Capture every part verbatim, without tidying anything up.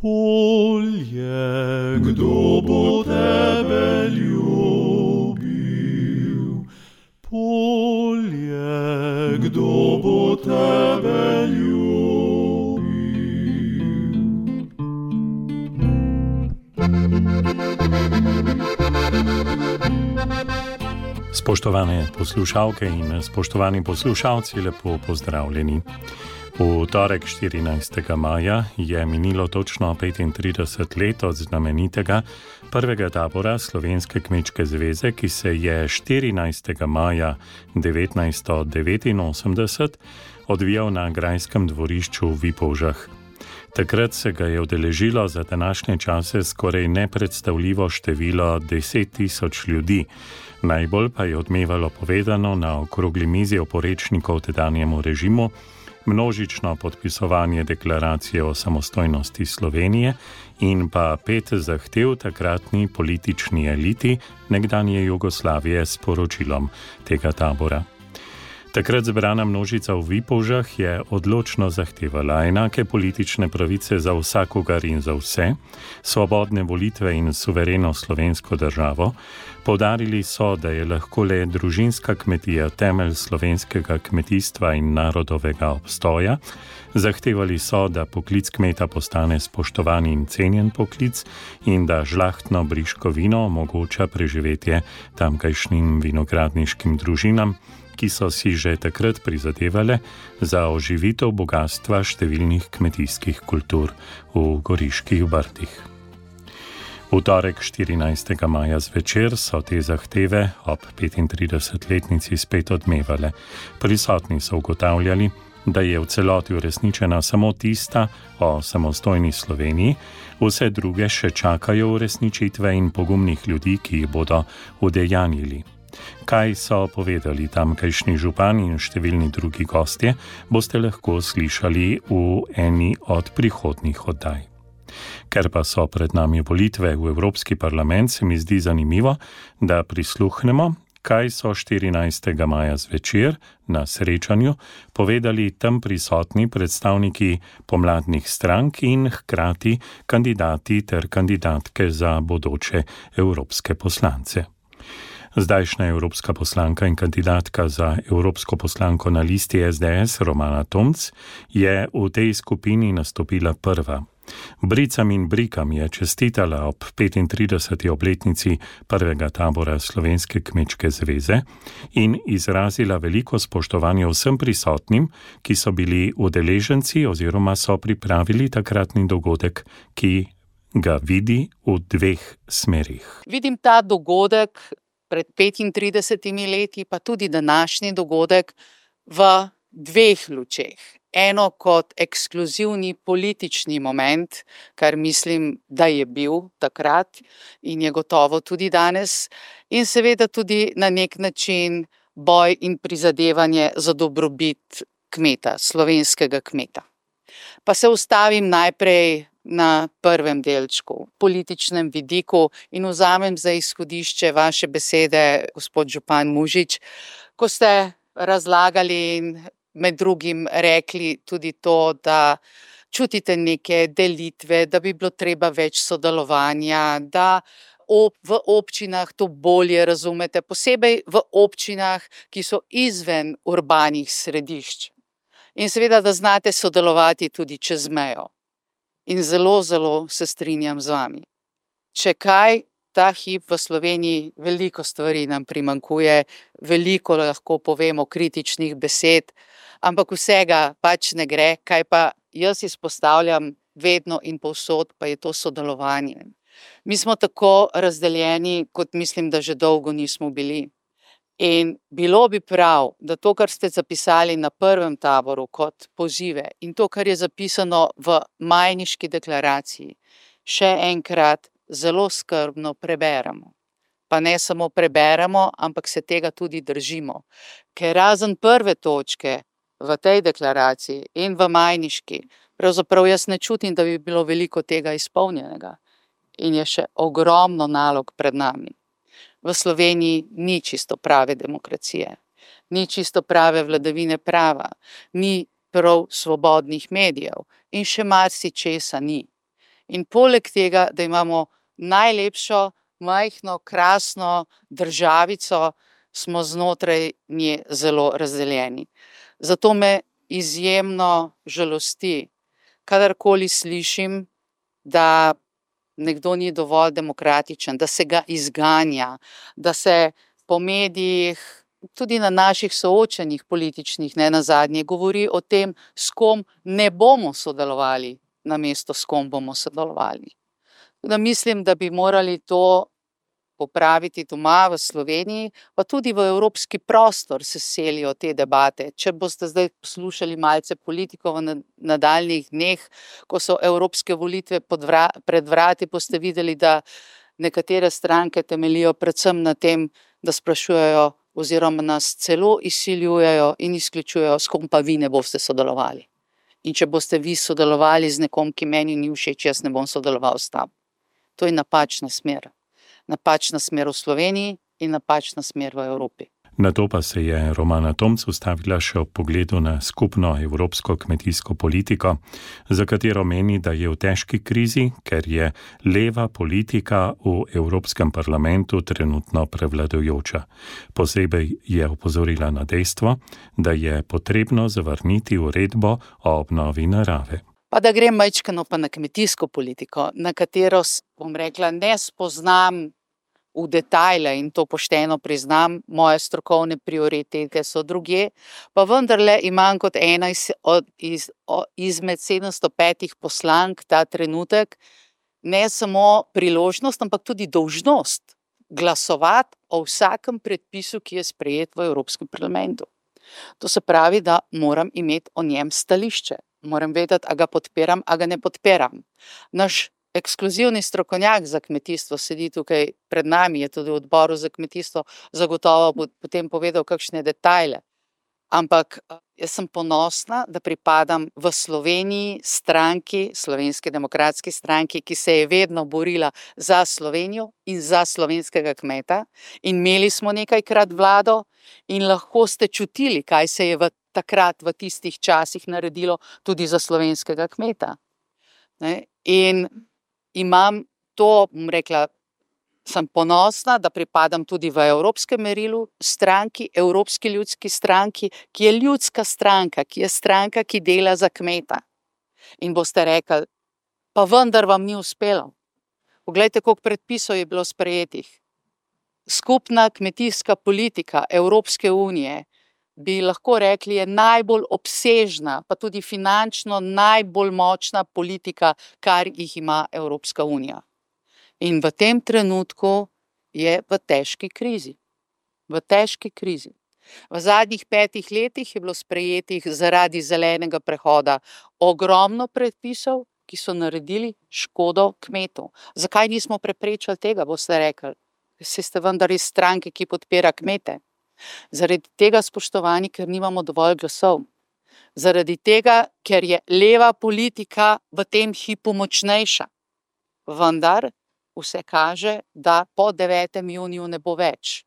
Polje, kdo bo tebe ljubil? Polje, kdo bo tebe ljubil? Spoštovane poslušalke in spoštovani poslušalci, lepo pozdravljeni. V torek štirinajstega maja je minilo točno petintrideset let od znamenitega prvega tabora Slovenske kmečke zveze, ki se je štirinajstega maja devetnajststo devetinosemdeset odvijal na grajskem dvorišču v Vipolžah. Takrat se ga je udeležilo za današnje čase skoraj nepredstavljivo število deset tisoč ljudi. Najbolj pa je odmevalo povedano na okrogli mizi oporečnikov tedanjemu režimu, množično podpisovanje deklaracije o samostojnosti Slovenije in pa pet zahtev takratni politični eliti nekdanje Jugoslavije s poročilom tega tabora. Takrat zbrana množica v Vipolžah je odločno zahtevala enake politične pravice za vsakogar in za vse, svobodne volitve in suvereno slovensko državo. Poudarili so, da je lahko le družinska kmetija temelj slovenskega kmetijstva in narodovega obstoja. Zahtevali so, da poklic kmeta postane spoštovan in cenjen poklic in da žlahtno briško vino omogoča preživetje tamkajšnjim vinogradniškim družinam, ki so si že takrat prizadevale za oživitev bogatstva številnih kmetijskih kultur v Goriških Brdih. V torek štirinajstega maja zvečer so te zahteve ob petintridesetletnici spet odmevale. Prisotni so ugotavljali, da je v celoti uresničena samo tista o samostojni Sloveniji, vse druge še čakajo uresničitve in pogumnih ljudi, ki jih bodo udejanjili. Kaj so povedali tamkajšnji župan in številni drugi gostje, boste lahko slišali v eni od prihodnjih oddaj. Ker pa so pred nami volitve v Evropski parlament, se mi zdi zanimivo, da prisluhnemo, kaj so štirinajstega maja zvečer na srečanju povedali tam prisotni predstavniki pomladnih strank in hkrati kandidati ter kandidatke za bodoče evropske poslance. Zdajšnja evropska poslanka in kandidatka za evropsko poslanko na listi es de es Romana Tomc je v tej skupini nastopila prva. Bricam in brikam je čestitala ob petintrideseti obletnici prvega tabora Slovenske kmečke zveze in izrazila veliko spoštovanje vsem prisotnim, ki so bili udeleženci oziroma so pripravili takratni dogodek, ki ga vidi v dveh smerih. Vidim ta dogodek pred petintridesetimi leti, pa tudi današnji dogodek v dveh lučeh. Eno kot ekskluzivni politični moment, kar mislim, da je bil takrat in je gotovo tudi danes, in seveda tudi na nek način boj in prizadevanje za dobrobit kmeta, slovenskega kmeta. Pa se ustavim najprej na prvem delčku, političnem vidiku, in vzamem za izhodišče vaše besede, gospod župan Mužič, ko ste razlagali in med drugim rekli tudi to, da čutite neke delitve, da bi bilo treba več sodelovanja, da ob, v občinah to bolje razumete, posebej v občinah, ki so izven urbanih središč. In seveda, da znate sodelovati tudi čez mejo. In zelo, zelo se strinjam z vami. Če kaj, ta hip v Sloveniji veliko stvari nam primanjkuje, veliko lahko povemo kritičnih besed, ampak vsega pač ne gre, kaj pa jaz izpostavljam vedno in povsod, pa je to sodelovanje. Mi smo tako razdeljeni, kot mislim, da že dolgo nismo bili. In bilo bi prav, da to, kar ste zapisali na prvem taboru kot pozive in to, kar je zapisano v Majniški deklaraciji, še enkrat zelo skrbno preberemo. Pa ne samo preberemo, ampak se tega tudi držimo. Ker razen prve točke v tej deklaraciji in v Majniški, pravzaprav jaz ne čutim, da bi bilo veliko tega izpolnjenega. In je še ogromno nalog pred nami. V Sloveniji ni čisto prave demokracije, ni čisto prave vladavine prava, ni prav svobodnih medijev in še marsičesa ni. In poleg tega, da imamo najlepšo, majhno, krasno državico, smo znotraj nje zelo razdeljeni. Zato me izjemno žalosti, kadarkoli slišim, da nekdo ni dovolj demokratičen, da se ga izganja, da se po medijih, tudi na naših soočenjih političnih, ne nazadnje, govori o tem, s kom ne bomo sodelovali, namesto s kom bomo sodelovali. Da mislim, da bi morali to popraviti doma v Sloveniji, pa tudi v evropski prostor se selijo te debate. Če boste zdaj poslušali malce politikov v nadaljnjih dneh, ko so evropske volitve pred vrati, boste videli, da nekatere stranke temeljijo predvsem na tem, da sprašujejo oziroma nas celo izsiljujejo in izključujejo, s kom pa vi ne boste sodelovali. In če boste vi sodelovali z nekom, ki meni ni všeč, jaz ne bom sodeloval s tam. To je napačna smer. Napačna smer v Sloveniji in napačna smer v Evropi. Na to pa se je Romana Tomc ustavila še ob pogledu na skupno evropsko kmetijsko politiko, za katero meni, da je v težki krizi, ker je leva politika v Evropskem parlamentu trenutno prevladujoča. Posebej je opozorila na dejstvo, da je potrebno zavrniti uredbo o obnovi narave. Pa da grem majčkeno pa na kmetijsko politiko, na katero, bom rekla, ne spoznam v detajle in to pošteno priznam, moje strokovne prioritete so drugje, pa vendarle imam kot ena iz, od, iz, od, izmed sedemsto petih poslank ta trenutek ne samo priložnost, ampak tudi dolžnost glasovati o vsakem predpisu, ki je sprejet v Evropskem parlamentu. To se pravi, da moram imeti o njem stališče. Moram vedeti, a ga podpiram, a ga ne podpiram. Naš ekskluzivni strokovnjak za kmetijstvo sedi tukaj pred nami, je tudi v odboru za kmetijstvo, zagotovo bo potem povedal kakšne detajle. Ampak jaz sem ponosna, da pripadam v Sloveniji stranki, Slovenski demokratski stranki, ki se je vedno borila za Slovenijo in za slovenskega kmeta. In imeli smo nekajkrat vlado in lahko ste čutili, kaj se je v takrat v tistih časih naredilo tudi za slovenskega kmeta. Ne? In imam to, bom rekla, sem ponosna, da pripadam tudi v evropskem merilu stranki, Evropski ljudski stranki, ki je ljudska stranka, ki je stranka, ki dela za kmeta. In boste rekli, pa vendar vam ni uspelo. Poglejte, koliko predpisov je bilo sprejetih. Skupna kmetijska politika Evropske unije bi lahko rekli, je najbolj obsežna, pa tudi finančno najbolj močna politika, kar jih ima Evropska unija. In v tem trenutku je v težki krizi. V težki krizi. V zadnjih petih letih je bilo sprejetih zaradi zelenega prehoda ogromno predpisov, ki so naredili škodo kmetov. Zakaj nismo preprečili tega, boste rekli? Saj ste vendar iz stranke, ki podpira kmete. Zaradi tega, spoštovani, ker nimamo dovolj glasov. Zaradi tega, ker je leva politika v tem hipu močnejša. Vendar vse kaže, da po devetem juniju ne bo več.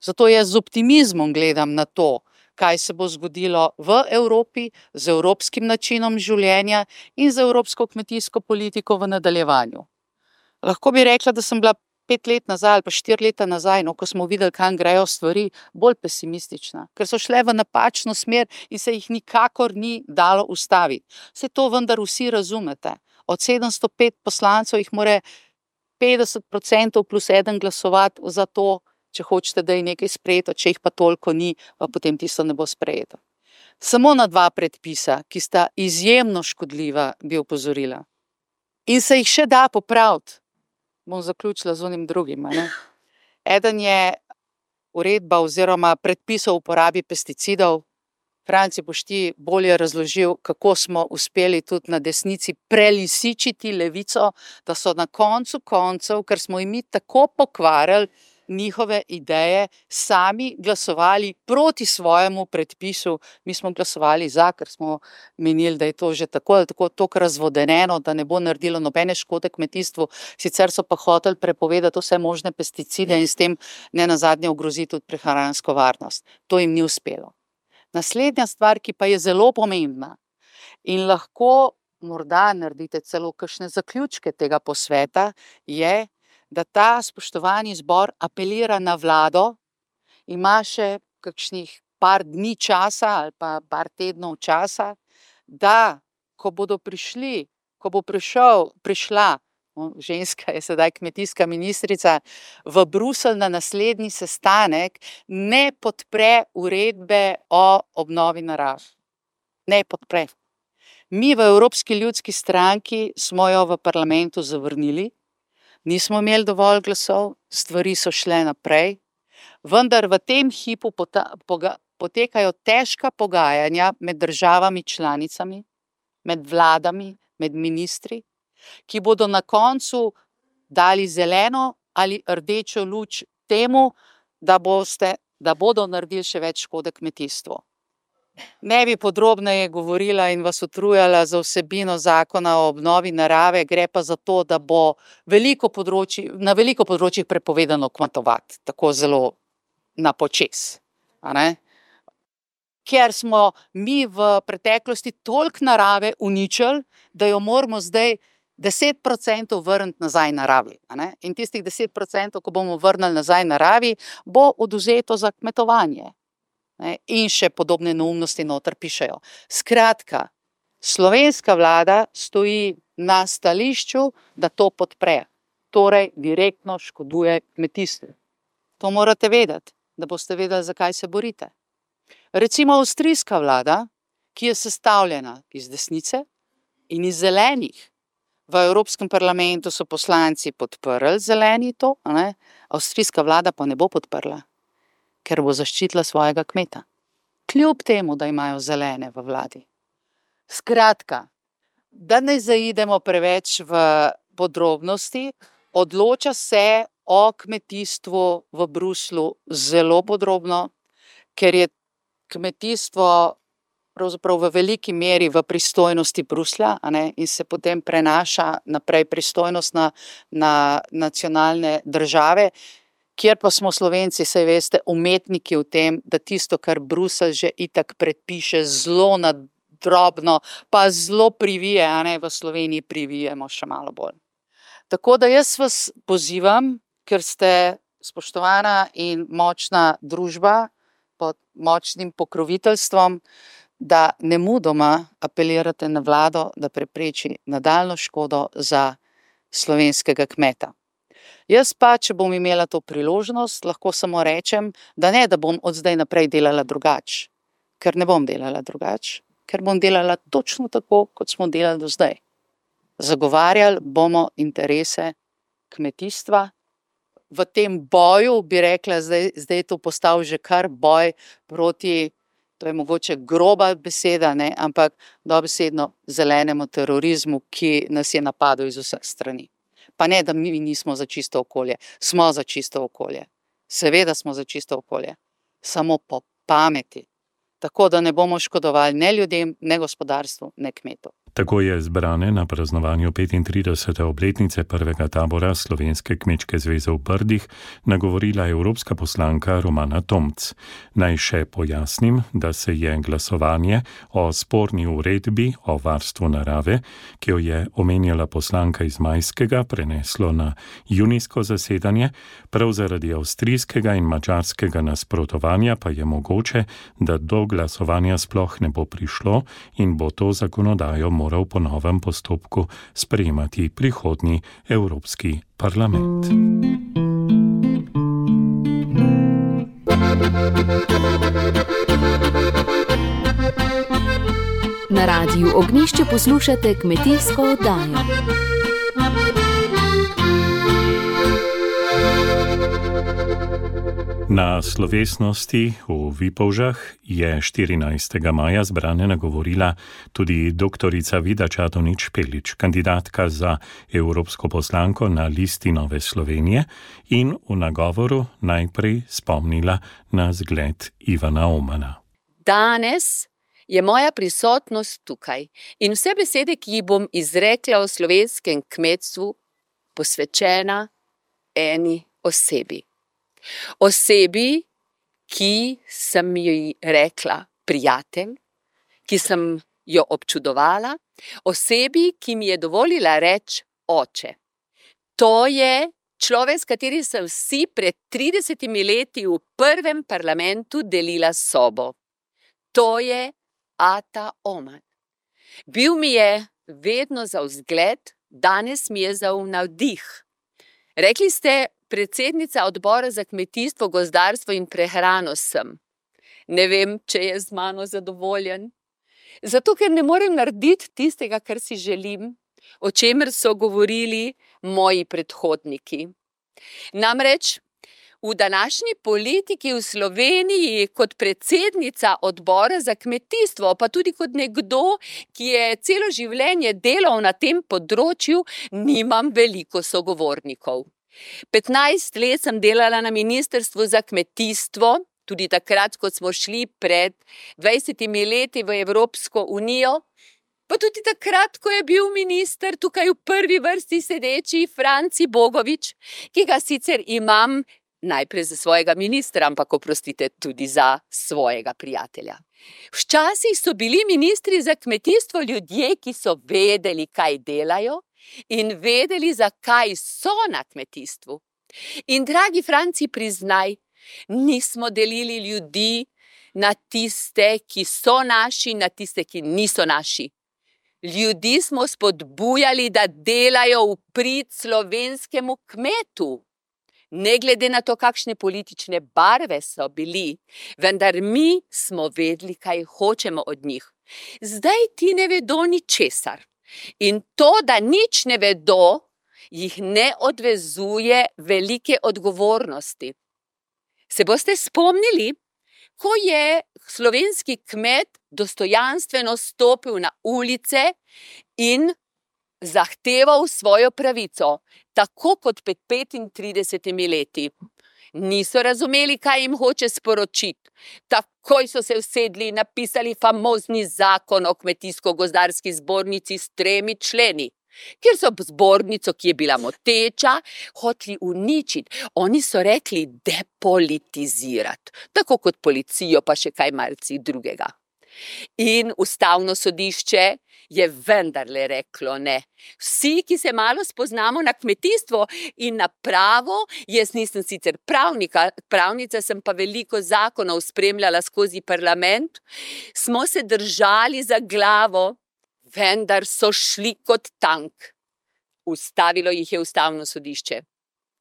Zato jaz z optimizmom gledam na to, kaj se bo zgodilo v Evropi z evropskim načinom življenja in z evropsko kmetijsko politiko v nadaljevanju. Lahko bi rekla, da sem bila pet let nazaj ali pa štiri leta nazaj, no, ko smo videli, kam grejo stvari, bolj pesimistična, ker so šle v napačno smer in se jih nikakor ni dalo ustaviti. Vse to vendar vsi razumete. Od sedemsto pet poslancev jih more petdeset procentov plus eden glasovati za to, če hočete, da je nekaj sprejeto, če jih pa toliko ni, pa potem tisto ne bo sprejeto. Samo na dva predpisa, ki sta izjemno škodljiva, bi opozorila. In se jih še da popraviti. Bom zaključila z onim drugim. Ne? Eden je uredba oziroma predpis o uporabi pesticidov. Franci, boš ti bolje razložil, kako smo uspeli tudi na desnici prelisičiti levico, da so na koncu koncev, ker smo jim mi tako pokvarili njihove ideje, sami glasovali proti svojemu predpisu. Mi smo glasovali za, ker smo menili, da je to že tako ali tako toliko razvodeneno, da ne bo naredilo nobene škode kmetijstvu. Sicer so pa hoteli prepovedati vse možne pesticide in s tem ne nazadnje ogroziti tudi prehransko varnost. To jim ni uspelo. Naslednja stvar, ki pa je zelo pomembna in lahko morda naredite celo kakšne zaključke tega posveta, je, da ta spoštovani zbor apelira na vlado, ima še kakšnih par dni časa ali pa par tednov časa, da ko bodo prišli, ko bo prišel, prišla, ženska je sedaj kmetijska ministrica, v Bruselj na naslednji sestanek, ne podpre uredbe o obnovi narave. Ne podpre. Mi v Evropski ljudski stranki smo jo v parlamentu zavrnili, nismo imeli dovolj glasov, stvari so šle naprej, vendar v tem hipu pota, poga, potekajo težka pogajanja med državami članicami, med vladami, med ministri, ki bodo na koncu dali zeleno ali rdečo luč temu, da, boste, da bodo naredili še več škode kmetijstvu. Ne bi podrobneje govorila in vas utrujala za vsebino zakona o obnovi narave, gre pa za to, da bo veliko področji, na veliko področjih prepovedano kmetovati, tako zelo na počez. A ne? Ker smo mi v preteklosti toliko narave uničili, da jo moramo zdaj deset procentov vrniti nazaj naravi. A ne? In tistih deset procentov, ko bomo vrnili nazaj naravi, bo odvzeto za kmetovanje. Ne? In še podobne neumnosti noter pišejo. Skratka, slovenska vlada stoji na stališču, da to podpre. Torej, direktno škoduje kmetijstvu. To morate vedeti, da boste vedeli, zakaj se borite. Recimo avstrijska vlada, ki je sestavljena iz desnice in iz zelenih. V Evropskem parlamentu so poslanci podprli zeleni to, a ne? Avstrijska vlada pa ne bo podprla, ker bo zaščitila svojega kmeta. Kljub temu, da imajo zelene v vladi. Skratka, da ne zaidemo preveč v podrobnosti, odloča se o kmetijstvu v Bruslju zelo podrobno, ker je kmetijstvo pravzaprav v veliki meri v pristojnosti Bruslja, a ne, in se potem prenaša naprej pristojnost na, na nacionalne države, kjer pa smo Slovenci, saj veste, umetniki v tem, da tisto, kar Bruselj že itak predpiše zelo nadrobno, pa zelo privije, a ne, v Sloveniji privijemo še malo bolj. Tako da jaz vas pozivam, ker ste spoštovana in močna družba pod močnim pokroviteljstvom, da nemudoma apelirate na vlado, da prepreči nadaljnjo škodo za slovenskega kmeta. Jaz pa, če bom imela to priložnost, lahko samo rečem, da ne, da bom od zdaj naprej delala drugače, ker ne bom delala drugače, ker bom delala točno tako, kot smo delali do zdaj. Zagovarjali bomo interese kmetijstva. V tem boju, bi rekla, zdaj, zdaj je to postal že kar boj proti, to je mogoče groba beseda, ne, ampak dobesedno zelenemu terorizmu, ki nas je napadel iz vseh strani. Pa ne, da mi nismo za čisto okolje, smo za čisto okolje. Seveda smo za čisto okolje, samo po pameti, tako da ne bomo škodovali ne ljudem, ne gospodarstvu, ne kmetu. Tako je zbrane na praznovanju petintridesete obletnice prvega tabora Slovenske kmečke zveze v Brdih nagovorila evropska poslanka Romana Tomc. Naj še pojasnim, da se je glasovanje o sporni uredbi o varstvu narave, ki jo je omenjala poslanka iz majskega, preneslo na junijsko zasedanje, prav zaradi avstrijskega in madžarskega nasprotovanja pa je mogoče, da do glasovanja sploh ne bo prišlo in bo to zakonodajo moral po novem postopku sprejemati prihodnji Evropski parlament. Na Radiu Ognjišče poslušate kmetijsko oddajo. Na slovesnosti v Vipavžah je štirinajstega maja zbrane nagovorila tudi doktorica Vida Čadonič-Špelič, kandidatka za evropsko poslanko na listi Nove Slovenije, in v nagovoru najprej spomnila na zgled Ivana Omana. Danes je moja prisotnost tukaj in vse besede, ki jih bom izrekla o slovenskem kmetstvu, posvečena eni osebi. Osebi, ki sem ji rekla prijatelj, ki sem jo občudovala Osebi, ki mi je dovolila reči oče. To je človek, s katerim sem si pred tridesetimi leti v prvem parlamentu delila sobo. To je ata Omar. Bil mi je vedno za vzgled, danes mi je za navdih. Rekli ste, predsednica odbora za kmetijstvo, gozdarstvo in prehrano sem. Ne vem, če je z mano zadovoljen. Zato, ker ne morem narediti tistega, kar si želim, o čemer so govorili moji predhodniki. Namreč, v današnji politiki v Sloveniji kot predsednica odbora za kmetijstvo, pa tudi kot nekdo, ki je celo življenje delal na tem področju, nimam veliko sogovornikov. petnajst let sem delala na Ministrstvu za kmetijstvo, tudi takrat, ko smo šli pred dvajsetimi leti v Evropsko unijo, pa tudi takrat, ko je bil minister tukaj v prvi vrsti sedeči Franci Bogovič, ki ga sicer imam najprej za svojega ministra, ampak oprostite tudi za svojega prijatelja. Včasih so bili ministri za kmetijstvo ljudje, ki so vedeli, kaj delajo in vedeli, zakaj so na kmetijstvu. In dragi Franci, priznaj, nismo delili ljudi na tiste, ki so naši, na tiste, ki niso naši. Ljudi smo spodbujali, da delajo v prid slovenskemu kmetu. Ne glede na to, kakšne politične barve so bili, vendar mi smo vedeli, kaj hočemo od njih. Zdaj ti ne vedo ničesar. In to, da nič ne vedo, jih ne odvezuje velike odgovornosti. Se boste spomnili, ko je slovenski kmet dostojanstveno stopil na ulice in zahteval svojo pravico, tako kot pred petintridesetimi leti. Niso razumeli, kaj jim hoče sporočiti. Takoj so se usedli in napisali famozni zakon o kmetijsko-gozdarski zbornici s tremi členi, kjer so zbornico, ki je bila moteča, hoteli uničiti. Oni so rekli depolitizirati, tako kot policijo, pa še kaj malce drugega. In ustavno sodišče je vendarle reklo ne. Vsi, ki se malo spoznamo na kmetijstvo in na pravo, jaz nisem sicer pravnika, pravnica sem pa veliko zakonov spremljala skozi parlament, smo se držali za glavo, vendar so šli kot tank. Ustavilo jih je ustavno sodišče.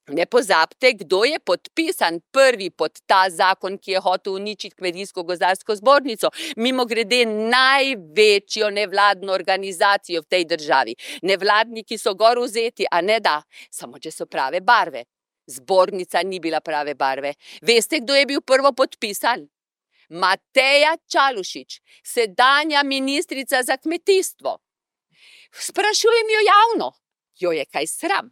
Ne pozabite, kdo je podpisan prvi pod ta zakon, ki je hotel uničiti kmetijsko-gozdarsko zbornico. Mimogrede največjo nevladno organizacijo v tej državi. Nevladniki so gor vzeti, a ne da, samo če so prave barve. Zbornica ni bila prave barve. Veste, kdo je bil prvo podpisan? Mateja Čalušić, sedanja ministrica za kmetijstvo. Sprašujem jo javno, jo je kaj sram.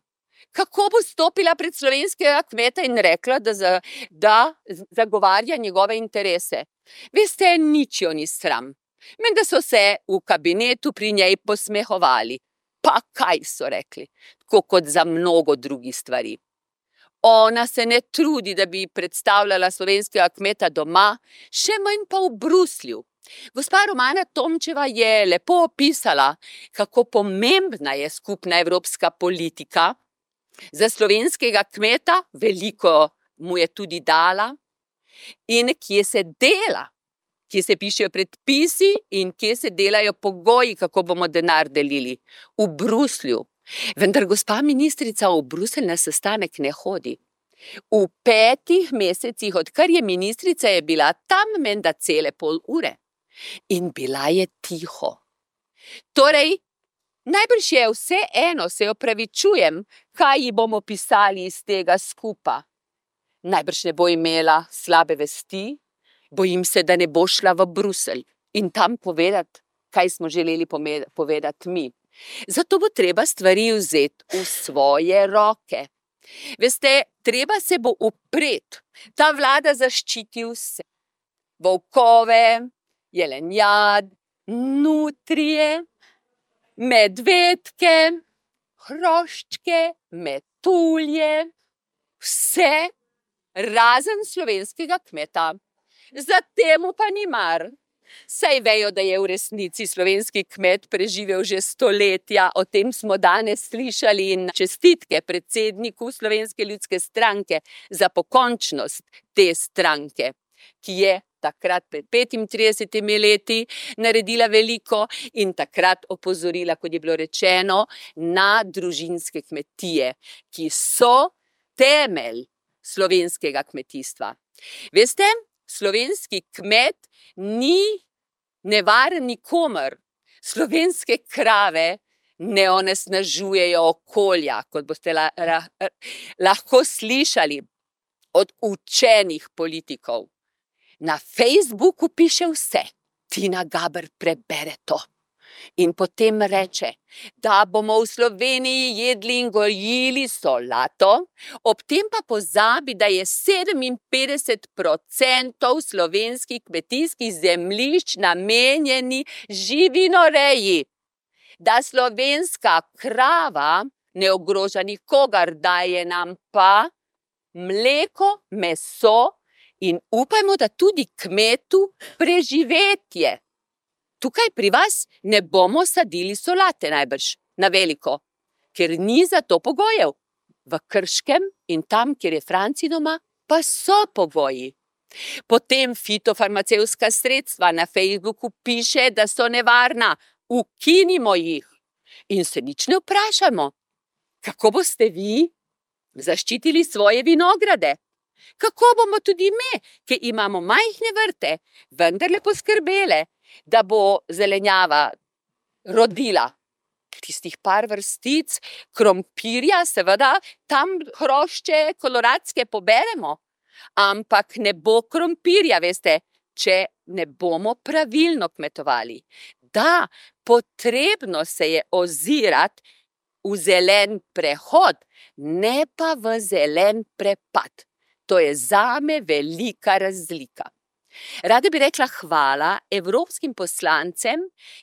Kako bo stopila pred slovenskega kmeta in rekla, da, za, da zagovarja njegove interese? Veste, nič jo ni sram. Menda so se v kabinetu pri njej posmehovali. Pa kaj so rekli? Tako kot za mnogo drugih stvari. Ona se ne trudi, da bi predstavljala slovenskega kmeta doma, še manj pa v Bruslju. Gospa Romana Tomčeva je lepo opisala, kako pomembna je skupna evropska politika. Za slovenskega kmeta veliko mu je tudi dala in kje se dela, kje se pišejo predpisi in kje se delajo pogoji, kako bomo denar delili. V Bruslju. Vendar gospa ministrica v Bruselj na sestanek ne hodi. V petih mesecih, odkar je ministrica, je bila tam menda cele pol ure. In bila je tiho. Torej, najbrž je vse eno, se opravičujem, kaj ji bomo pisali iz tega skupa. Najbrž ne bo imela slabe vesti, bojim se, da ne bo šla v Bruselj in tam povedati, kaj smo želeli povedati mi. Zato bo treba stvari vzeti v svoje roke. Veste, treba se bo upreti. Ta vlada zaščiti vse. Volkove, jelenjad, nutrije, medvedke, hroščke, metulje, vse razen slovenskega kmeta. Za temu pa ni mar. Saj vejo, da je v resnici slovenski kmet preživel že stoletja, o tem smo danes slišali in čestitke predsedniku Slovenske ljudske stranke za pokončnost te stranke, ki je takrat pred petintridesetimi leti naredila veliko in takrat opozorila, kot je bilo rečeno, na družinske kmetije, ki so temelj slovenskega kmetijstva. Veste, slovenski kmet ni nevaren nikomur. Slovenske krave ne onesnažujejo okolja, kot boste la, la, lahko slišali od učenih politikov. Na Facebooku piše vse. Tina Gaber prebere to in potem reče, da bomo v Sloveniji jedli in gojili solato, ob tem pa pozabi, da je sedeminpetdeset procentov slovenskih kmetijskih zemljišč namenjeni živinoreji. Da slovenska krava ne ogroža nikogar, daje nam pa mleko, meso in upajmo, da tudi kmetu preživetje. Tukaj pri vas ne bomo sadili solate najbrž na veliko, ker ni za to pogojev. V Krškem in tam, kjer je Franci doma, pa so pogoji. Potem fitofarmacevtska sredstva na Facebooku piše, da so nevarna, ukinimo jih. In se nič ne vprašamo, kako boste vi zaščitili svoje vinograde? Kako bomo tudi mi, ki imamo majhne vrte, vendarle poskrbele, da bo zelenjava rodila tistih par vrstic krompirja, seveda tam hrošče koloradske poberemo, ampak ne bo krompirja, veste, če ne bomo pravilno kmetovali. Da, potrebno se je ozirati v zelen prehod, ne pa v zelen prepad. To je zame velika razlika. Rada bi rekla hvala evropskim poslancem,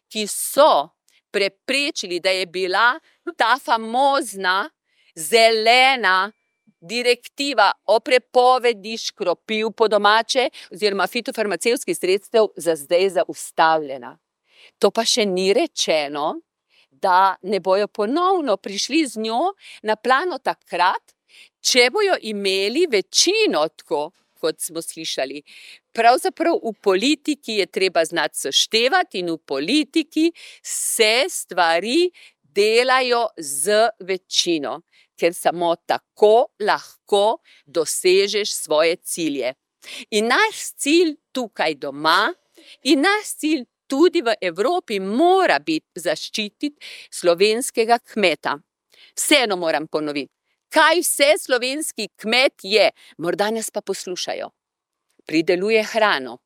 ki so preprečili, da je bila ta famozna zelena direktiva o prepovedi škropiv po domače oziroma fitofarmacevtskih sredstev za zdaj zaustavljena. To pa še ni rečeno, da ne bojo ponovno prišli z njo na plano takrat, če bojo imeli večino, tako kot smo slišali. Pravzaprav v politiki je treba znati seštevati in v politiki se stvari delajo z večino, ker samo tako lahko dosežeš svoje cilje. In naš cilj tukaj doma in naš cilj tudi v Evropi mora biti zaščititi slovenskega kmeta. Vseeno moram ponoviti. Kaj vse slovenski kmet je, morda nas pa poslušajo. Prideluje hrano,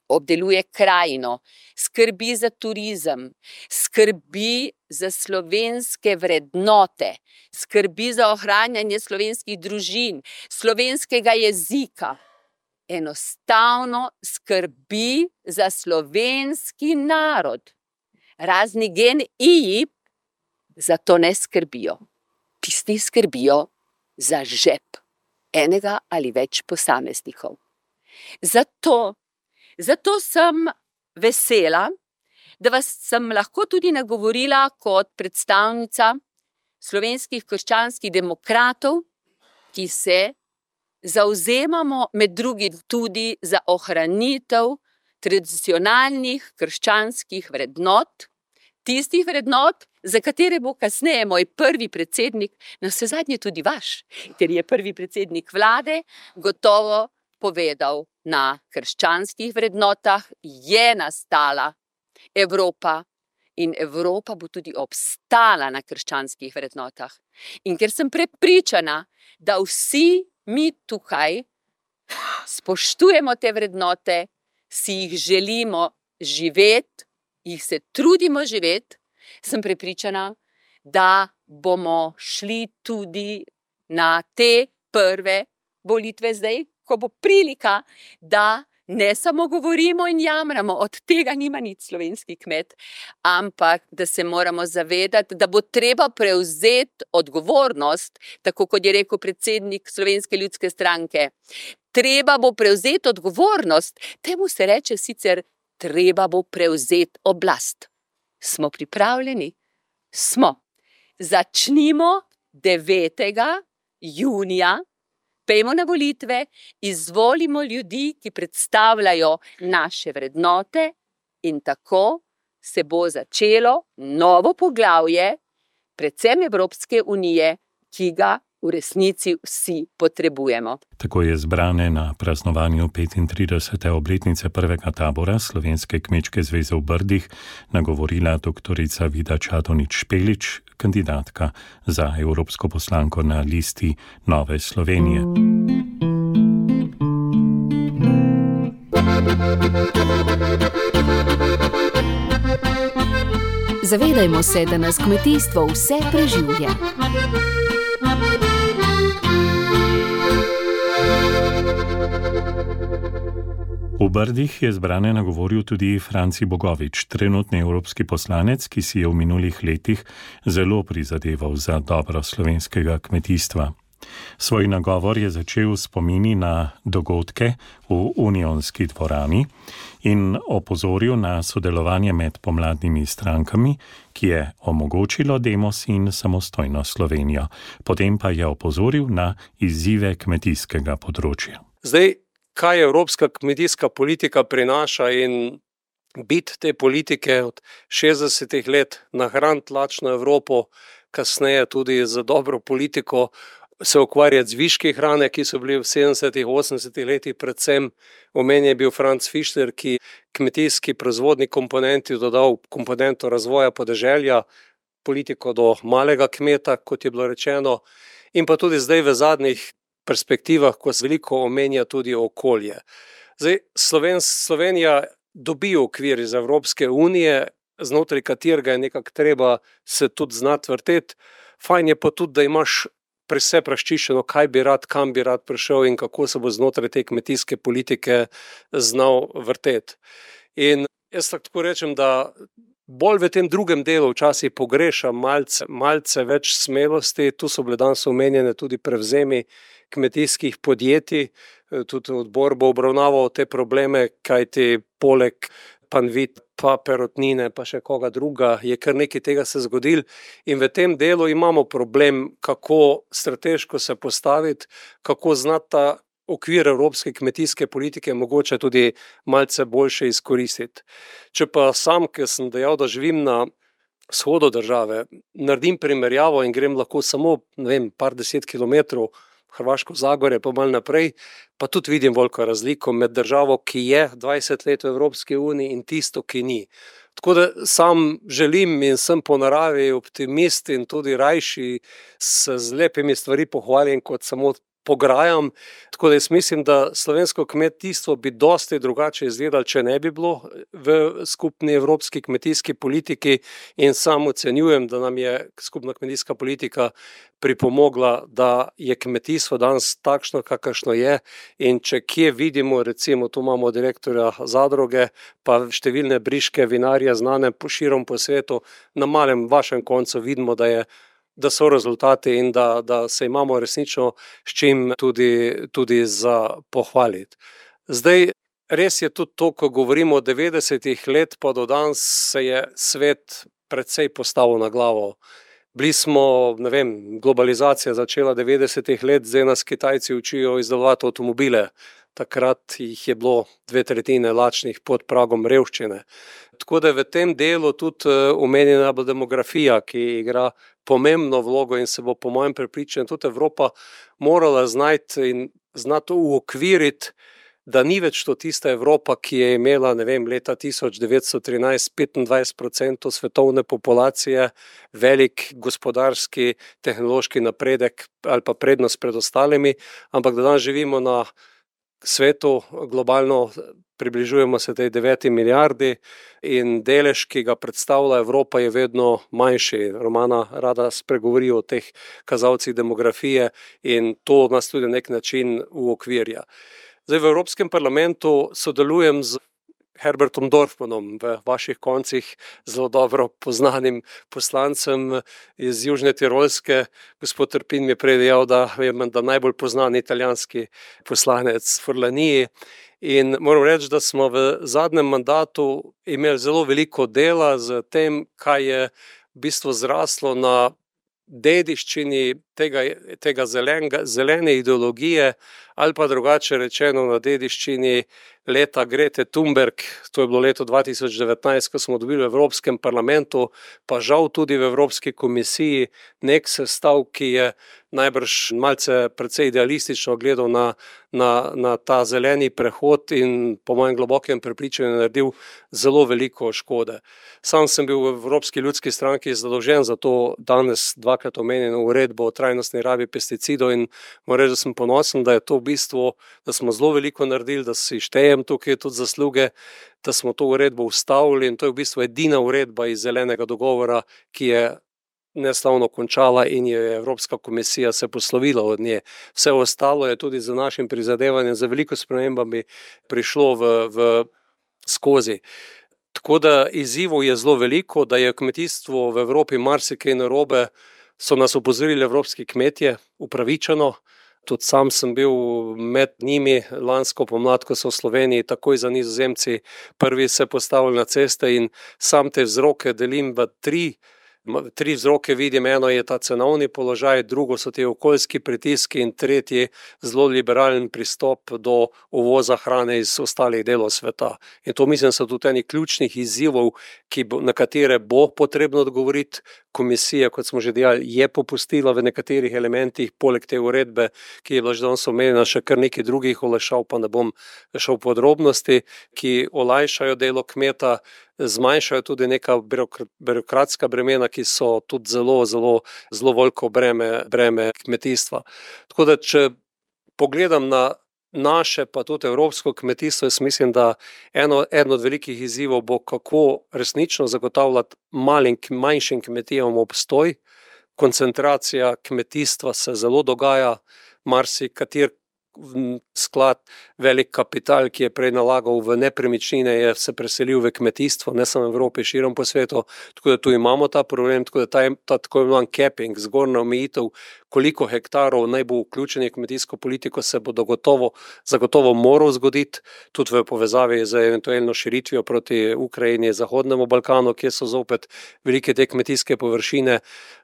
obdeluje krajino, skrbi za turizem, skrbi za slovenske vrednote, skrbi za ohranjanje slovenskih družin, slovenskega jezika. Enostavno skrbi za slovenski narod. Razni G N I za to ne skrbijo. Tisti skrbijo za žep enega ali več posameznikov. Zato, zato sem vesela, da vas sem lahko tudi nagovorila kot predstavnica slovenskih krščanskih demokratov, ki se zavzemamo med drugim tudi za ohranitev tradicionalnih krščanskih vrednot, tistih vrednot, za katere bo kasneje moj prvi predsednik, navsezadnje tudi vaš, ker je prvi predsednik vlade gotovo povedal, na krščanskih vrednotah je nastala Evropa in Evropa bo tudi obstala na krščanskih vrednotah. In ker sem prepričana, da vsi mi tukaj spoštujemo te vrednote, si jih želimo živeti, jih se trudimo živeti, sem prepričana, da bomo šli tudi na te prve volitve zdaj, ko bo prilika, da ne samo govorimo in jamramo, od tega nima nič slovenski kmet, ampak da se moramo zavedati, da bo treba prevzeti odgovornost, tako kot je rekel predsednik Slovenske ljudske stranke. Treba bo prevzeti odgovornost, temu se reče sicer treba bo prevzeti oblast. Smo pripravljeni? Smo. Začnimo devetega junija, pejmo na volitve, izvolimo ljudi, ki predstavljajo naše vrednote, in tako se bo začelo novo poglavje, predvsem Evropske unije, ki ga v resnici vsi potrebujemo. Tako je zbrane na praznovanju petintridesete obletnice prvega tabora Slovenske kmečke zveze v Brdih nagovorila doktorica Vida Čadonič Špelič, kandidatka za evropsko poslanko na listi Nove Slovenije. Zavedajmo se, da nas kmetijstvo vse preživlja. V Brdih je zbrane nagovoril tudi Franci Bogovič, trenutni evropski poslanec, ki si je v minulih letih zelo prizadeval za dobro slovenskega kmetijstva. Svoj nagovor je začel s spomini na dogodke v Unionski dvorani in opozoril na sodelovanje med pomladnimi strankami, ki je omogočilo Demos in samostojno Slovenijo. Potem pa je opozoril na izzive kmetijskega področja. Zdaj, kaj evropska kmetijska politika prinaša in bit te politike od šestdesetih let nahraniti lačno Evropo, kasneje tudi za dobro politiko, se ukvarjati z viški hrane, ki so bili v sedemdesetih, osemdesetih letih, predvsem omenjen je bil Franz Fischler, ki kmetijski proizvodni komponenti dodal komponento razvoja podeželja, politiko do malega kmeta, kot je bilo rečeno, in pa tudi zdaj v zadnjih perspektivah, ko se veliko omenja tudi okolje. Zdaj, Sloven, Slovenija dobi okvir iz Evropske unije, znotraj katerega je nekako treba se tudi znati vrteti. Fajn je pa tudi, da imaš pri vse razčiščeno, kaj bi rad, kam bi rad prišel in kako se bo znotraj te kmetijske politike znal vrteti. In jaz tako rečem, da bolj v tem drugem delu včasih pogreša malce, malce več smelosti. Tu so bile danes omenjene tudi prevzemi kmetijskih podjetij, tudi odbor bo obravnaval te probleme, kajti poleg Panvit, pa Perutnine, pa še koga druga, je kar nekaj tega se zgodil in v tem delu imamo problem, kako strateško se postaviti, kako znati ta okvir evropske kmetijske politike mogoče tudi malce boljše izkoristiti. Če pa sam, ker sem dejal, da živim na vzhodu države, naredim primerjavo in grem lahko samo, ne vem, par deset kilometrov Hrvaško Zagorje, pa malo naprej, pa tudi vidim veliko razliko med državo, ki je dvajset let v Evropski uniji in tisto, ki ni. Tako da sam želim in sem po naravi optimist in tudi rajši se z lepimi stvari pohvalim, kot samo pograjam. Tako da jaz mislim, da slovensko kmetijstvo bi dosti drugače izgledalo, če ne bi bilo v skupni evropski kmetijski politiki in sam ocenjujem, da nam je skupna kmetijska politika pripomogla, da je kmetijstvo danes takšno, kakršno je in če kje vidimo, recimo tu imamo direktorja zadruge, pa številne briške vinarje znane širom po svetu, na malem vašem koncu vidimo, da je da so rezultati in da, da se imamo resnično s čim tudi, tudi za pohvaliti. Zdaj, res je tudi to, ko govorimo o devetdesetih let, pa do danes se je svet precej postavil na glavo. Bili smo, ne vem, globalizacija začela devetdesetih let, zdaj nas Kitajci učijo izdelovati avtomobile. Takrat jih je bilo dve tretjine lačnih pod pragom revščine. Tako da v tem delu tudi omenjena bo demografija, ki igra pomembno vlogo in se bo po mojem prepričanju tudi Evropa morala znati in znati uokviriti, da ni več to tista Evropa, ki je imela, ne vem, leta tisoč devetsto trinajst petindvajset procentov svetovne populacije, velik gospodarski, tehnološki napredek ali pa prednost pred ostalimi, ampak da danes živimo na svetu globalno, približujemo se tej deveti milijardi in delež, ki ga predstavlja Evropa, je vedno manjši. Romana rada spregovori o teh kazalcih demografije in to nas tudi na nek način uokvirja. Zdaj v Evropskem parlamentu sodelujem z Herbertom Dorfmanom, v vaših koncih zelo dobro poznanim poslancem iz Južne Tirolske. Gospod Trpin mi je prej dejal, da je menda najbolj poznan italijanski poslanec v Furlaniji. In moram reči, da smo v zadnjem mandatu imeli zelo veliko dela z tem, kaj je v bistvu zraslo na dediščini tega, tega zelenega, zelene ideologije ali pa drugače rečeno na dediščini leta Grete Thunberg, to je bilo leto dva tisoč devetnajst, ko smo dobili v Evropskem parlamentu, pa žal tudi v Evropski komisiji nek sestav, ki je najbrž malce precej idealistično gledal na, na, na ta zeleni prehod in po mojem globokem prepričanju naredil zelo veliko škode. Sam sem bil v Evropski ljudski stranki zadolžen za to danes dvakrat omenjeno uredbo o trajnostni rabi pesticidov in moram reči, da sem ponosen, da je to v bistvu, da smo zelo veliko naredili, da si štejem tukaj tudi zasluge, da smo to uredbo ustavili in to je v bistvu edina uredba iz zelenega dogovora, ki je neslavno končala in je Evropska komisija se poslovila od nje. Vse ostalo je tudi za našim prizadevanjem, za veliko spremembami prišlo v, v skozi. Tako da izzivov je zelo veliko, da je kmetijstvo v Evropi marsikaj narobe, so nas opozorili evropski kmetje, upravičeno. Tudi sam sem bil med njimi lansko pomlad, ko so v Sloveniji takoj za Nizozemci prvi se postavili na ceste in sam te vzroke delim v tri. Tri vzroke vidim, eno je ta cenovni položaj, drugo so ti okoljski pritiski in tretji zelo liberalen pristop do uvoza hrane iz ostalih delov sveta. In to mislim so tudi eni ključnih izzivov, ki bo, na katere bo potrebno odgovoriti. Komisija, kot smo že dejali, je popustila v nekaterih elementih, poleg te uredbe, ki je bila že danes omenjena, še kar nekaj drugih olajšav, pa ne bom šel v podrobnosti, ki olajšajo delo kmeta, zmanjšajo tudi neka birokratska bremena, ki so tudi zelo, zelo, zelo veliko breme, breme kmetijstva. Tako da, če pogledam na naše, pa tudi evropsko kmetijstvo, jaz mislim, da eno, eno od velikih izzivov bo, kako resnično zagotavljati malim, manjšim kmetijam obstoj. Koncentracija kmetijstva se zelo dogaja, marsikater sklad, velik kapital, ki je prej nalagal v nepremičnine, je se preselil v kmetijstvo, ne samo v Evropi, širom po svetu, tako da tu imamo ta problem, tako da ta, ta tako imenovan capping, zgornja omejitev, koliko hektarov naj bo vključenih v kmetijsko politiko, se bo dogotovo, zagotovo moral zgoditi, tudi v povezavi z eventualno širitvijo proti Ukrajini, Zahodnemu Balkanu, kjer so zopet velike te kmetijske površine.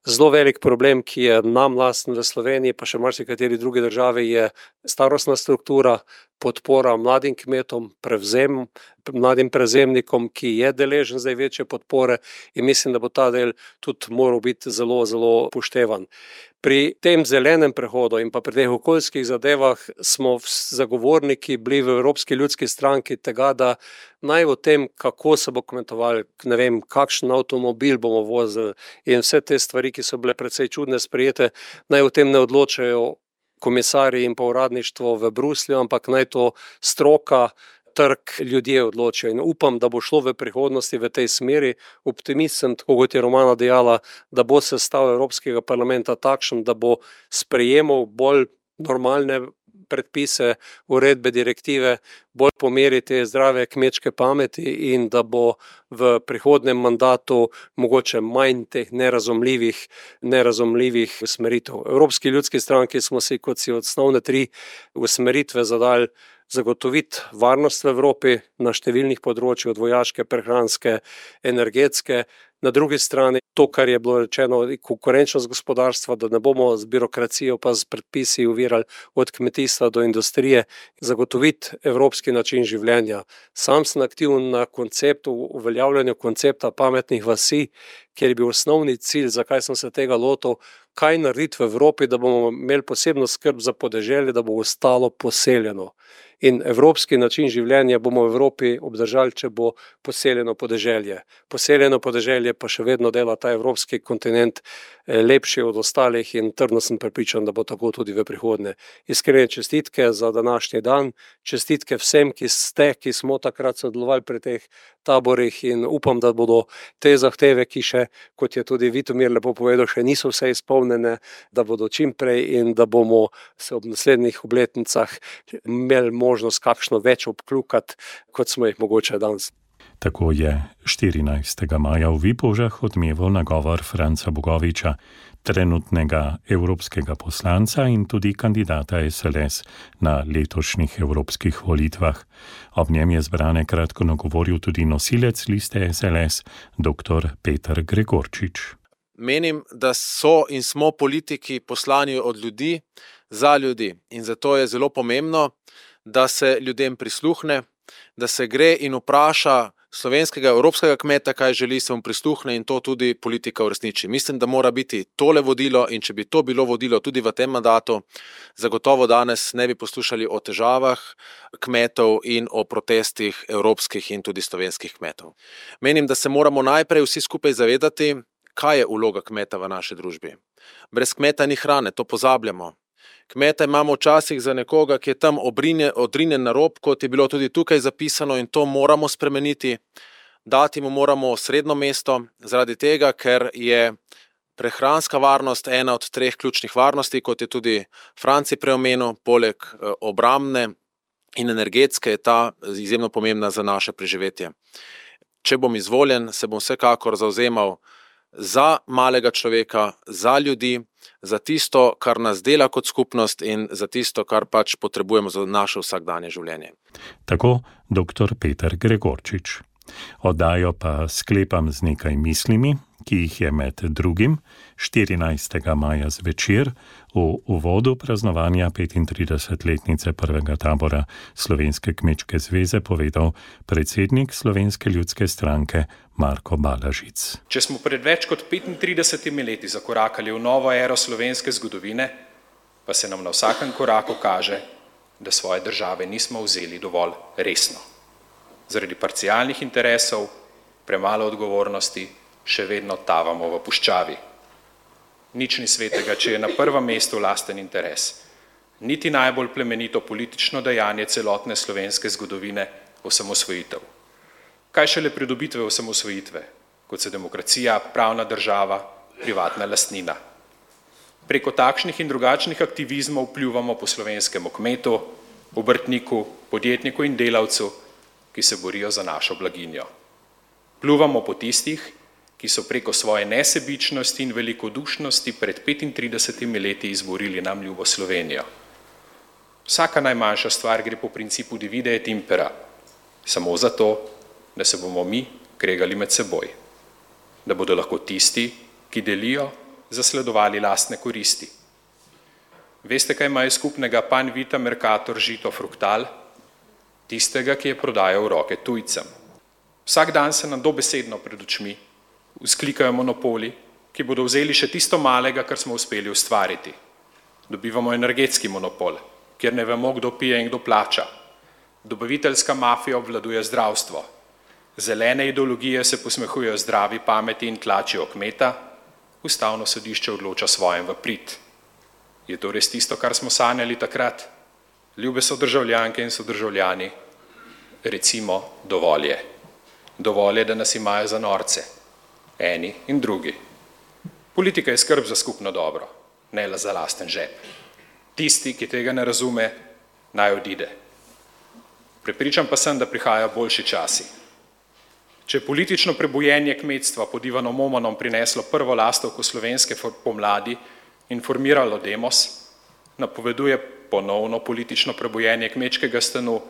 Zelo velik problem, ki je nam lasten v Sloveniji, pa še marsikateri drugi državi, je starostna struktura, podpora mladim kmetom, prevzem, mladim prevzemnikom, ki je deležen zdaj večje podpore in mislim, da bo ta del tudi moral biti zelo, zelo upoštevan. Pri tem zelenem prehodu in pa pri teh okoljskih zadevah smo zagovorniki bili v Evropski ljudski stranki tega, da naj o tem, kako se bo kmetovali, ne vem, kakšen avtomobil bomo vozili in vse te stvari, ki so bile precej čudne sprejete, naj o tem ne odločajo komisarji in pa uradništvo v Bruslju, ampak naj to stroka, trg, ljudje odločijo. In upam, da bo šlo v prihodnosti v tej smeri. Optimist sem, tako kot je Romana dejala, da bo sestav Evropskega parlamenta takšen, da bo sprejemal bolj normalne predpise, uredbe, direktive, bolj po meri te zdrave kmečke pameti in da bo v prihodnem mandatu mogoče manj teh nerazumljivih, nerazumljivih usmeritev. Evropski ljudski stranki smo si kot si osnovne tri usmeritve zadali zagotoviti varnost v Evropi na številnih področjih, od vojaške, prehranske, energetske. Na drugi strani to, kar je bilo rečeno, konkurenčnost gospodarstva, da ne bomo z birokracijo pa z predpisi uvirali od kmetijstva do industrije, zagotoviti evropski način življenja. Sam sem aktiven na konceptu, uveljavljanju koncepta pametnih vasi, kjer je bil osnovni cilj, zakaj sem se tega lotil, kaj narediti v Evropi, da bomo imeli posebno skrb za podeželje, da bo ostalo poseljeno. In evropski način življenja bomo v Evropi obdržali, če bo poseljeno podeželje. Poseljeno podeželje veselje pa še vedno dela ta evropski kontinent lepši od ostalih in trdno sem prepričan, da bo tako tudi v prihodnje. Iskrene čestitke za današnji dan, čestitke vsem, ki ste, ki smo takrat sodelovali pri teh taborih in upam, da bodo te zahteve, ki še, kot je tudi Vitomir lepo povedal, še niso vse izpolnjene, da bodo čim prej in da bomo se ob naslednjih obletnicah imeli možnost kakšno več obkljukati, kot smo jih mogoče danes. Tako je štirinajstega maja v Vipavžah odmeval nagovor Franca Bogoviča, trenutnega evropskega poslanca in tudi kandidata es el es na letošnjih evropskih volitvah. Ob njem je zbrane kratko nagovoril tudi nosilec liste es el es, doktor Peter Gregorčič. Menim, da so in smo politiki poslani od ljudi za ljudi in zato je zelo pomembno, da se ljudem prisluhne, da se gre in vpraša slovenskega, evropskega kmeta, kaj želi, se mu prisluhne in to tudi politika uresniči. Mislim, da mora biti tole vodilo in če bi to bilo vodilo tudi v tem mandatu, zagotovo danes ne bi poslušali o težavah kmetov in o protestih evropskih in tudi slovenskih kmetov. Menim, da se moramo najprej vsi skupaj zavedati, kaj je vloga kmeta v naši družbi. Brez kmeta ni hrane, to pozabljamo. Kmeta imamo včasih za nekoga, ki je tam odrinjen na rob, kot je bilo tudi tukaj zapisano in to moramo spremeniti. Dati mu moramo srednjo mesto, zaradi tega, ker je prehranska varnost ena od treh ključnih varnosti, kot je tudi Franci preomenil, poleg obrambne in energetske je ta izjemno pomembna za naše preživetje. Če bom izvoljen, se bom vsekakor zavzemal za malega človeka, za ljudi, za tisto, kar nas dela kot skupnost in za tisto, kar pač potrebujemo za naše vsakdanje življenje. Tako doktor Peter Gregorčič. Oddajo pa sklepam z nekaj mislimi, ki jih je med drugim štirinajstega maja zvečer v uvodu praznovanja petintridesetletnice prvega tabora Slovenske kmečke zveze povedal predsednik Slovenske ljudske stranke Marko Balažic. Če smo pred več kot petintridesetimi leti zakorakali v novo ero slovenske zgodovine, pa se nam na vsakem koraku kaže, da svoje države nismo vzeli dovolj resno. Zaradi parcialnih interesov, premalo odgovornosti, še vedno tavamo v puščavi. Nič ni svetega, če je na prvem mestu lasten interes. Niti najbolj plemenito politično dejanje celotne slovenske zgodovine osamosvojitev. Kaj šele pridobitve osamosvojitve, kot so demokracija, pravna država, privatna lastnina. Preko takšnih in drugačnih aktivizmov vplivamo po slovenskemu kmetu, obrtniku, podjetniku in delavcu, ki se borijo za našo blaginjo. Pljuvamo po tistih, ki so preko svoje nesebičnosti in velikodušnosti pred petintridesetimi leti izborili nam ljubo Slovenijo. Vsaka najmanjša stvar gre po principu divide et impera, samo zato, da se bomo mi kregali med seboj. Da bodo lahko tisti, ki delijo, zasledovali lastne koristi. Veste, kaj imajo skupnega pan vita mercator žito fruktal? Tistega, ki je prodajal v roke tujcem. Vsak dan se nam dobesedno pred očmi vzklikajo monopoli, ki bodo vzeli še tisto malega, kar smo uspeli ustvariti. Dobivamo energetski monopol, kjer ne vemo, kdo pije in kdo plača. Dobaviteljska mafija obvladuje zdravstvo. Zelene ideologije se posmehujejo zdravi pameti in tlačijo kmeta, ustavno sodišče odloča svojem v prid. Je to res tisto, kar smo sanjali takrat? Ljube sodržavljanke in sodržavljani, recimo dovolj je. Dovolj je, da nas imajo za norce, eni in drugi. Politika je skrb za skupno dobro, ne le za lasten žep. Tisti, ki tega ne razume, naj odide. Prepričan pa sem, da prihajajo boljši časi. Če je politično prebojenje kmetstva pod Ivanom Omanom prineslo prvo lastovko slovenske pomladi in formiralo demos, napoveduje ponovno politično prebojenje kmečkega stanu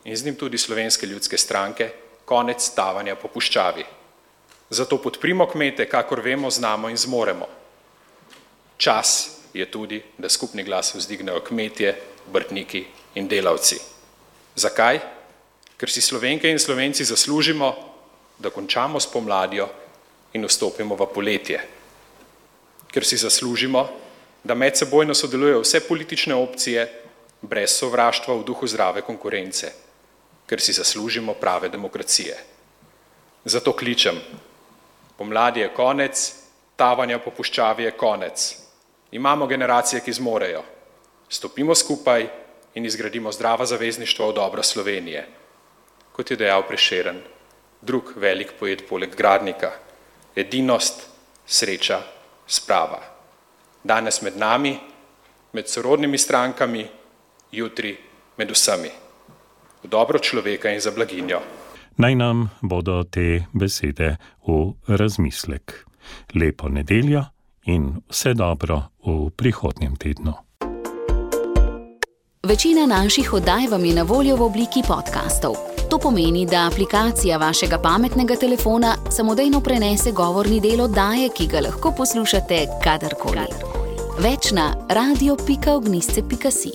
in z njim tudi Slovenske ljudske stranke, konec stavanja po puščavi. Zato podprimo kmete, kakor vemo, znamo in zmoremo. Čas je tudi, da skupni glas vzdignejo kmetje, obrtniki in delavci. Zakaj? Ker si Slovenke in Slovenci zaslužimo, da končamo s pomladjo in vstopimo v poletje. Ker si zaslužimo, da medsebojno sodelujejo vse politične opcije brez sovraštva v duhu zdrave konkurence, ker si zaslužimo prave demokracije. Zato kličem, Pomladi je konec, tavanja po puščavi je konec. Imamo generacije, ki zmorejo. Stopimo skupaj in izgradimo zdrava zavezništva v dobro Slovenije. Kot je dejal Prešeren, drug velik poet poleg Gradnika, edinost, sreča, sprava. Danes med nami, med sorodnimi strankami, jutri med vsemi. V dobro človeka in za blaginjo. Naj nam bodo te besede v razmislek. Lepo nedeljo in vse dobro v prihodnjem tednu. Večina naših oddaj vam je na voljo v obliki podcastov. To pomeni, da aplikacija vašega pametnega telefona samodejno prenese govorni del oddaje, ki ga lahko poslušate kadarkoli. Več na radio pika ognjšče pika si.